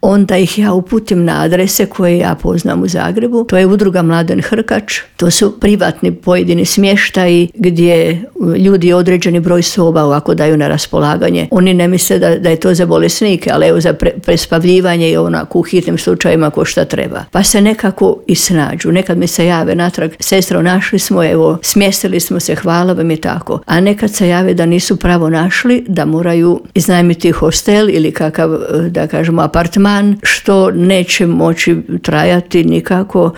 onda ih ja uputim na adrese koje ja poznam u Zagrebu. To je udruga Mladen Hrkač, to su privatni pojedini smještaji gdje ljudi određeni broj soba ovako daju na raspolaganje. Oni ne misle da je to za bolesnike, ali evo za prespavljivanje i onako u hitnim slučajevima ko šta treba. Pa se nekako i snađu. Nekad mi se jave natrag, sestro, našli smo, evo, smjestili smo se, hvala vam i tako. A nekad se jave da nisu pravo našli, da moraju iznajmiti hostel ili kakav, da kažemo, apartman, što neće moći trajati nikako